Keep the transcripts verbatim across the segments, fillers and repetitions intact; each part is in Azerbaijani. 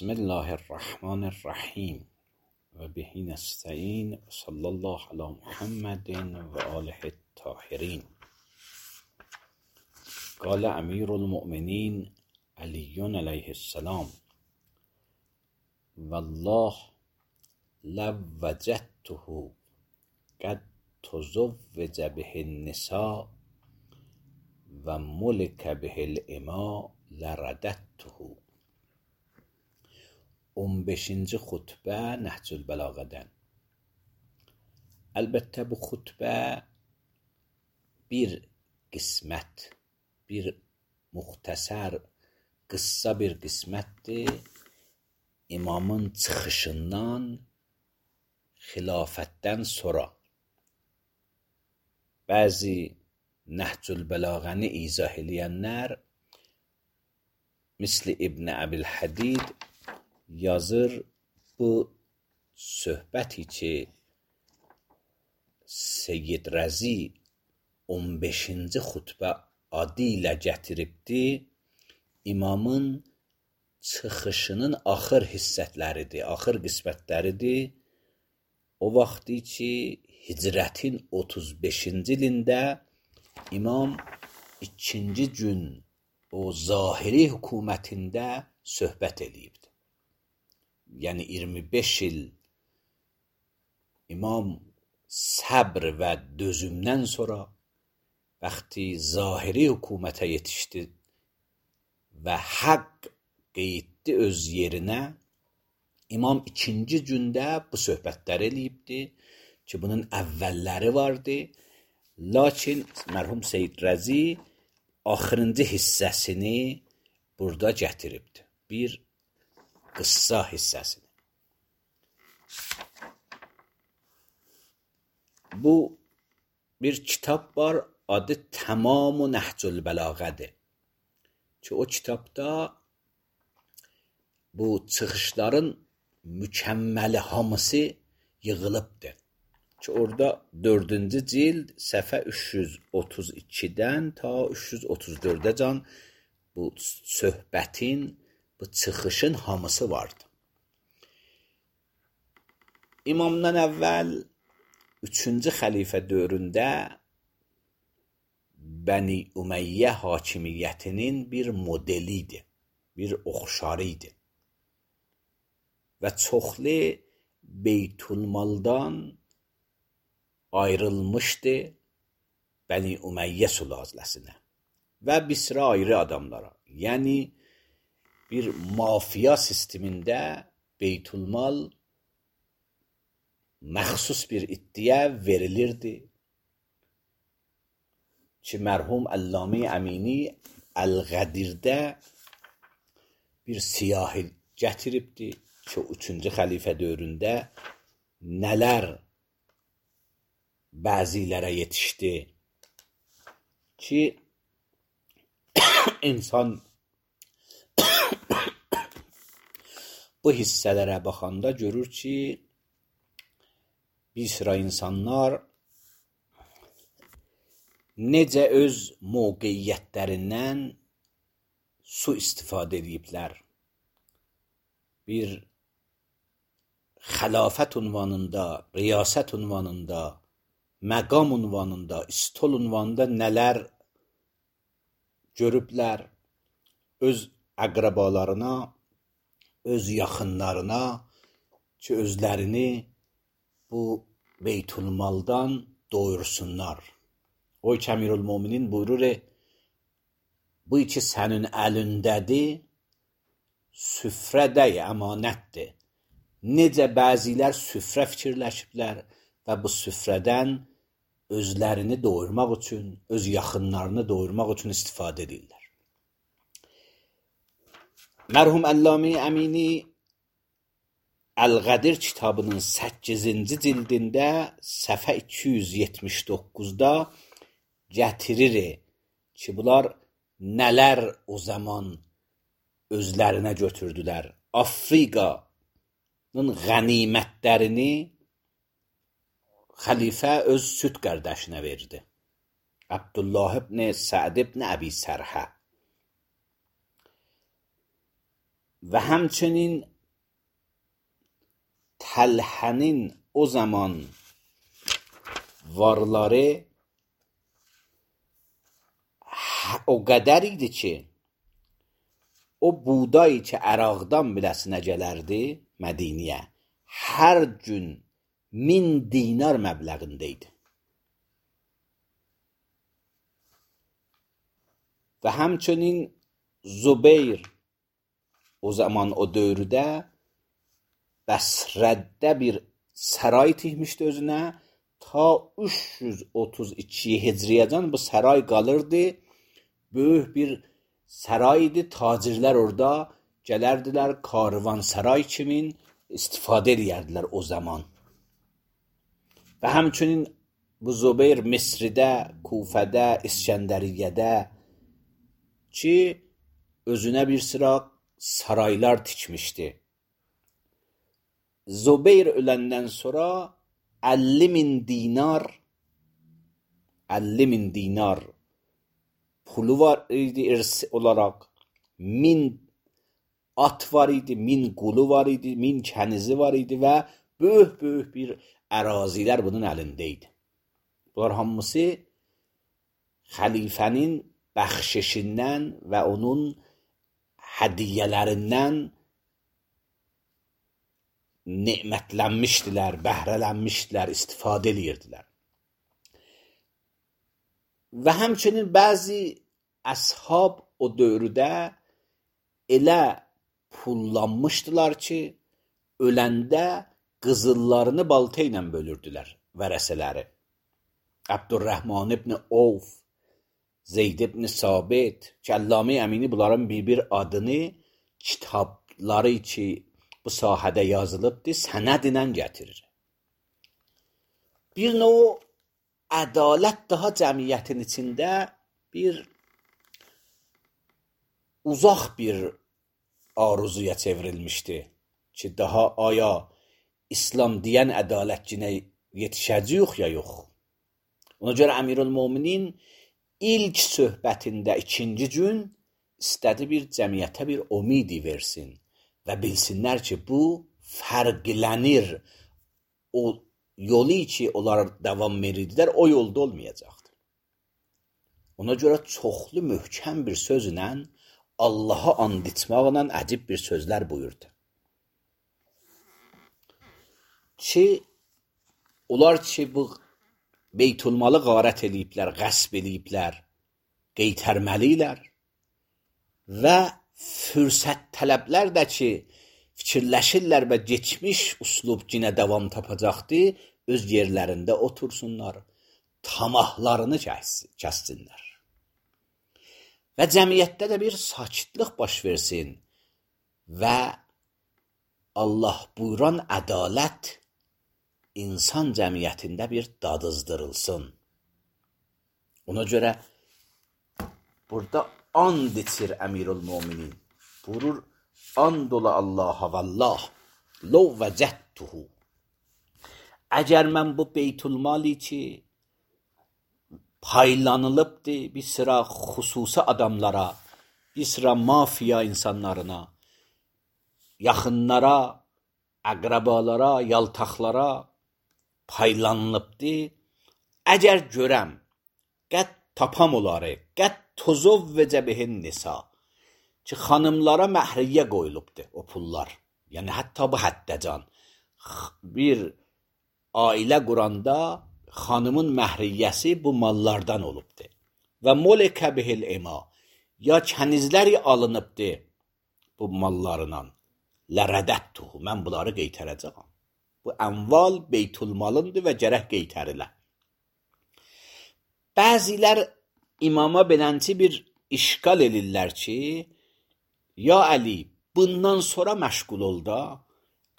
بسم الله الرحمن الرحیم و به نستعین و صلی الله علی محمد و آله الطاهرین. قال امیر المؤمنین علی علیه السلام: والله لو وجدته قد تزوج به النساء و ملک به الاماء لرددته. on beşinci xutbə Nəhcül Bəlağədən. Əlbəttə bu xutbə bir qismət, bir muxtəsər, qıssa bir qismətdir. İmamın çıxışından, xilafətdən sonra bəzi Nəhcül Bəlağəni izah eləyənlər misli İbn Əbilhədid yazır, bu söhbəti ki Seyyid Rəzi on beşinci xutbə adı ilə gətiribdir, imamın çıxışının axır hissətləridir, axır qismətləridir. O vaxtı ki hicrətin otuz beşinci ilində imam ikinci gün o zahiri hökumətində söhbət eləyibdir. Yəni iyirmi beş il imam səbr və dözümdən sonra vaxtı zahiri hökumətə yetişdi və haqq qeyddi öz yerinə, imam ikinci gündə bu söhbətlər eləyibdi ki, bunun əvvəlləri vardı. Lakin mərhum Seyyid Rəzi axırıncı hissəsini burada gətiribdi. Bir qıssa hissəsini. Bu bir kitab var, adı Tamam-ı Nəhcül Bəlağədir. Ki o kitabda bu çıxışların mükəmməli hamısı yığılıbdır. Ki orada dördüncü cild səhifə üç yüz otuz ikidən ta üç yüz otuz dördə can bu söhbətin, bu çıxışın hamısı vardı. İmamdan əvvəl üçüncü xəlifə dövründə Bəni Ümeyyə hakimiyyətinin bir modeli idi, bir oxşarı idi. Və çoxlu Beytülmaldan ayrılmışdı Bəni Ümeyyə sülaləsinə və bir sıra ayrı adamlara. Yəni bir mafiya sistemində Beytülmal məxsus bir iddia verilirdi ki, mərhum Əllamə Əmini Əl-Qədirdə bir siyahı gətiribdi ki, üçüncü xəlifə dövründə nələr bəzilərə yetişdi ki, insan bu hissələrə baxanda görür ki, bir sıra insanlar necə öz mövqeyiyyətlərindən su istifadə ediblər. Bir xilafət ünvanında, riyasət ünvanında, məqam ünvanında, istol ünvanında nələr görüblər, öz əqrəbalarına, öz yaxınlarına ki, özlərini bu Beytülmaldan doyursunlar. O ki, Əmirül-Möminin buyurur, bu ki sənin əlindədir, süfrədə əmanətdir. Necə bəzilər süfrə fikirləşiblər və bu süfrədən özlərini doyurmaq üçün, öz yaxınlarını doyurmaq üçün istifadə edirlər. Mərhum Əllamə Əmini Əl-Qədir kitabının səkkizinci cildində səhifə iki yüz yetmiş doqquzda gətirir ki, bunlar nələr o zaman özlərinə götürdülər. Afriqanın qənimətlərini xəlifə öz süd qardaşına verdi. Abdullah ibn Səd ibn Əbi Sərhə. və həmçinin Təlhənin o zaman varları o qədər idi ki, o buğday ki, Əraqdan biləsinə gələrdi Mədiniyə, hər gün min dinar məbləğində idi. Və həmçinin Zubeyr o zaman o dövrdə Bəsrədə bir saray tikmişdi özünə, ta üç yüz otuz iki Hicriyyədən bu saray qalırdı. Böyük bir saray idi, tacirlər orada gələrdilər, karvan saray kimi istifadə edərdilər o zaman. Və həmçinin bu Zubeyr Misridə, Kufədə, İskəndəriyyədə ki, özünə bir sıra saraylar tikmişdi. Zubeyr öləndən sonra əlli min dinar əlli min dinar pulu var idi irsi olaraq, min at var idi, min qulu var idi, min kənizi var idi və böyük-böyük bir ərazilər bunun əlində idi. Bunlar hamısı xəlifənin bəxşişindən və onun hədiyyələrindən nemətlənmişdilər, bəhrələnmişdilər, istifadə edirdilər. Və həmçinin bəzi əshab o dövrdə elə pullanmışdılar ki, öləndə qızıllarını balta ilə bölürdülər vərəsələri. Abdurrahman ibn Avf, Zeyd ibn Sabit ki, Əllamə Əmini bunların bir-bir adını kitabları ki, bu sahədə yazılıbdır, sənədlə gətirir. Bir növ ədalət daha cəmiyyətin içində bir uzaq bir arzuya çevrilmişdi ki, daha aya İslam deyən ədalətçinə yetişəcəyik ya yox. Ona görə Əmirül-Möminin ilk söhbətində ikinci gün istədi bir cəmiyyətə bir umidi versin və bilsinlər ki, bu fərqlənir. O yolu ki, onlar davam edirdilər, o yolda olmayacaqdır. Ona görə çoxlu möhkəm bir sözlə, Allaha and içmaqla əcib bir sözlər buyurdu. Ki, onlar ki, bu Beytulmalı qarət eləyiblər, qəsb eləyiblər, qeytərməliylər və fürsət tələblər də ki, fikirləşirlər və geçmiş uslub yenə davam tapacaqdı, öz yerlərində otursunlar, tamahlarını kəssinlər. Və cəmiyyətdə də bir sakitlik baş versin və Allah buyuran ədalət insan cəmiyyətində bir dadızdırılsın. Ona görə burada and içir Əmirül-Möminin. Buyurur, and ola Allaha vallah, lov vəcədtuhu. Əgər mən bu beytulmali ki, paylanılıbdır bir sıra xüsusi adamlara, bir sıra mafiya insanlarına, yaxınlara, əqrabalara, yaltaqlara paylanılıbdır. Əgər görəm, qəd tapam oları, qəd tozov və cəbihin nisa ki, xanımlara məhriyyə qoyulubdur o pullar. Yəni, hətta bu həddəcan. Bir ailə quranda xanımın məhriyyəsi bu mallardan olubdur. Və molekə bihil ema, ya kənizləri alınıbdır bu mallarından. Lərədəttuhu, mən bunları qeytərəcəm. Bu ənval beytulmalındır və gərək qeytərilə. Bəzilər imama belənçi bir işgal edirlər ki, ya Əli, bundan sonra məşğul ol da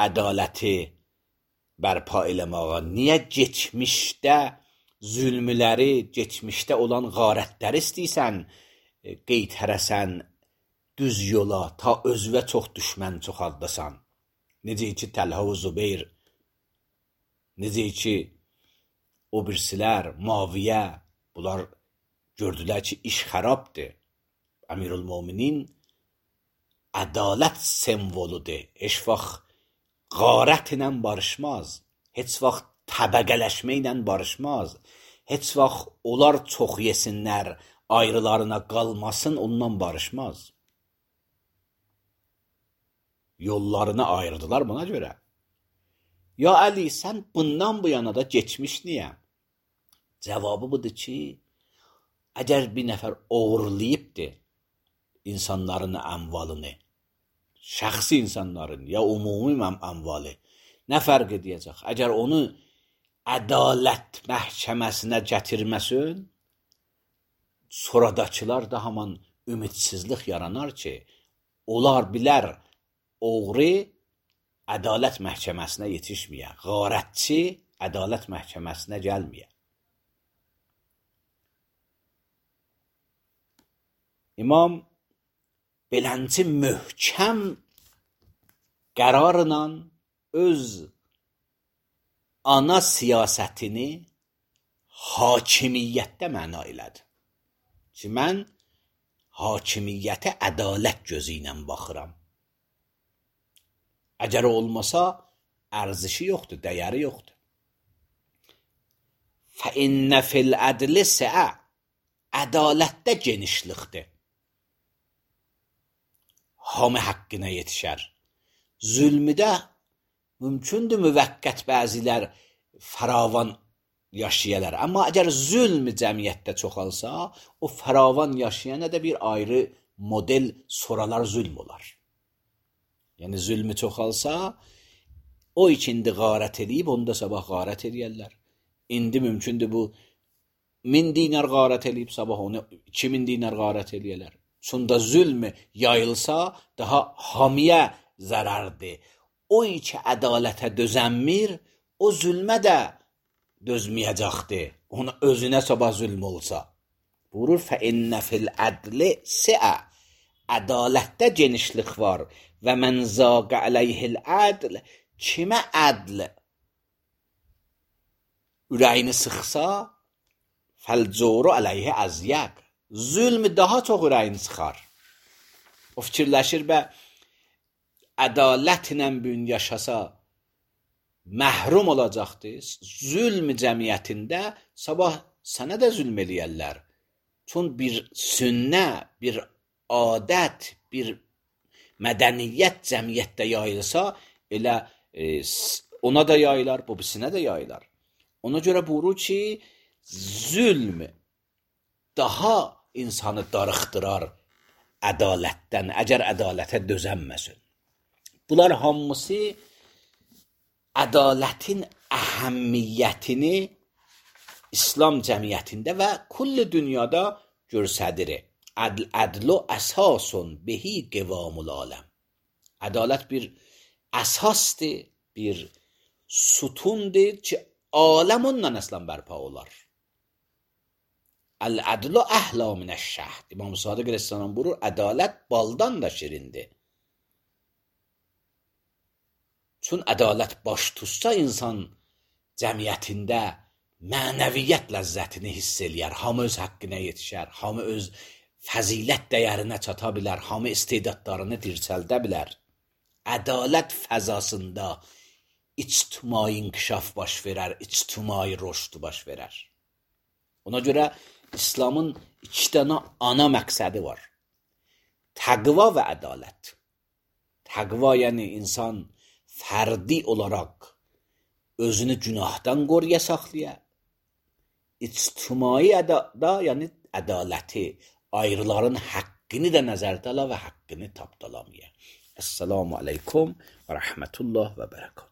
ədaləti bərpa eləməyə. Niyə geçmişdə zülmləri, geçmişdə olan qarətləri istəyirsən, qeytərəsən düz yola, ta özvə çox düşmən çoxaldasan. Necə ki, Təlhə və Zubeyr, necə ki, o birsilər, Maviyyə, bunlar gördülər ki, iş xərabdır. Əmirül-Möminin ədalət simvoludur. Heç vaxt qarət ilə barışmaz. Heç vaxt təbəqələşmə ilə barışmaz. Heç vaxt onlar çox yesinlər, ayrılarına qalmasın, ondan barışmaz. Yollarını ayırdılar buna görə. Ya Əli, sən bundan bu yana da geçmiş niyə? Cavabı budur ki, əgər bir nəfər oğurlayıbdır insanların əmvalını, şəxsi insanların ya umumi əmvalı, nə fərq edəcək? Əgər onu ədalət məhkəməsinə gətirməsin, sonradakılar da haman ümidsizlik yaranar ki, onlar bilər oğru ədalət məhkəməsinə yetişməyə, qarətçi ədalət məhkəməsinə gəlməyə. İmam beləncə möhkəm qərarla öz ana siyasətini hakimiyyətdə məna elədi. Ki, mən hakimiyyətə ədalət gözü ilə baxıram. Əgər olmasa, ərzişi yoxdur, dəyəri yoxdur. فَإِنَّ فِي الْعَدْلِ سَعَ Ədalətdə genişlikdir. Hamı haqqına yetişər. Zülmüdə mümkündür müvəqqət bəzilər fəravan yaşayalar. Amma əgər zülm cəmiyyətdə çoxalsa, o fəravan yaşayana da bir ayrı model soralar zülm olar. Yəni zülmü çoxalsa, o ikindi qarət edib, onda sabah qarət edərlər. İndi mümkündür bu min dinar qarət edib, sabah onu iki min dinar qarət edərlər. Sonra zülm yayılsa, daha hamiyə zərərdir. O iki ədalətə dözənmir, o zülmə də dözməyəcəkdir. Ona özünə sabah zülm olsa. Buyurur, فَإِنَّ فِي الْعَدْلِ سِعَ Ədalətdə genişlik var. Və mən zaqə əleyhil ədl kimə ədl ürəyini sıxsa fəlcoru əleyhi əzyəq zülm daha çox ürəyini sıxar. O fikirləşir və ədalətlə bugün yaşasa məhrum olacaqdır. Zülm cəmiyyətində sabah sənə də zülm eləyərlər. Çün bir sünnə, bir adət, bir mədəniyyət cəmiyyətdə yayılsa, elə e, ona da yayılar, bu birisine də yayılar. Ona görə buyurur ki, zülm daha insanı darıxdırar ədalətdən, əgər ədalətə dözənməsin. Bunlar hamısı ədalətin əhəmmiyyətini İslam cəmiyyətində və kulli dünyada göstərir. Ədl, ədlu əsasun behi qivamul aləm. Ədalət bir əsasdır, bir sütundur ki, aləm ondan əslən bərpa olar. Əl-ədlu əhla minəş-şəhd. İmam Sadiq əleyhissalam buyurur, ədalət baldan da şirindir. Çün ədalət baş tutsa insan cəmiyyətində mənəviyyət ləzzətini hiss eləyər, hamı öz haqqına yetişər, hamı öz fəzilət dəyərinə çata bilər, hamı istedadlarını dirçəldə bilər. Ədalət fəzasında ictimai inkişaf baş verər, ictimai rüşd baş verər. Ona görə İslamın iki dənə ana məqsədi var. Təqva və ədalət. Təqva yəni insan fərdi olaraq özünü günahdan qoruya saxlaya. İctimai da yəni ədaləti, ayrıların haqqını da nəzərdə ala və haqqını tapdalamaya. Esselamu aleykum və rəhmətullah və bərəkət.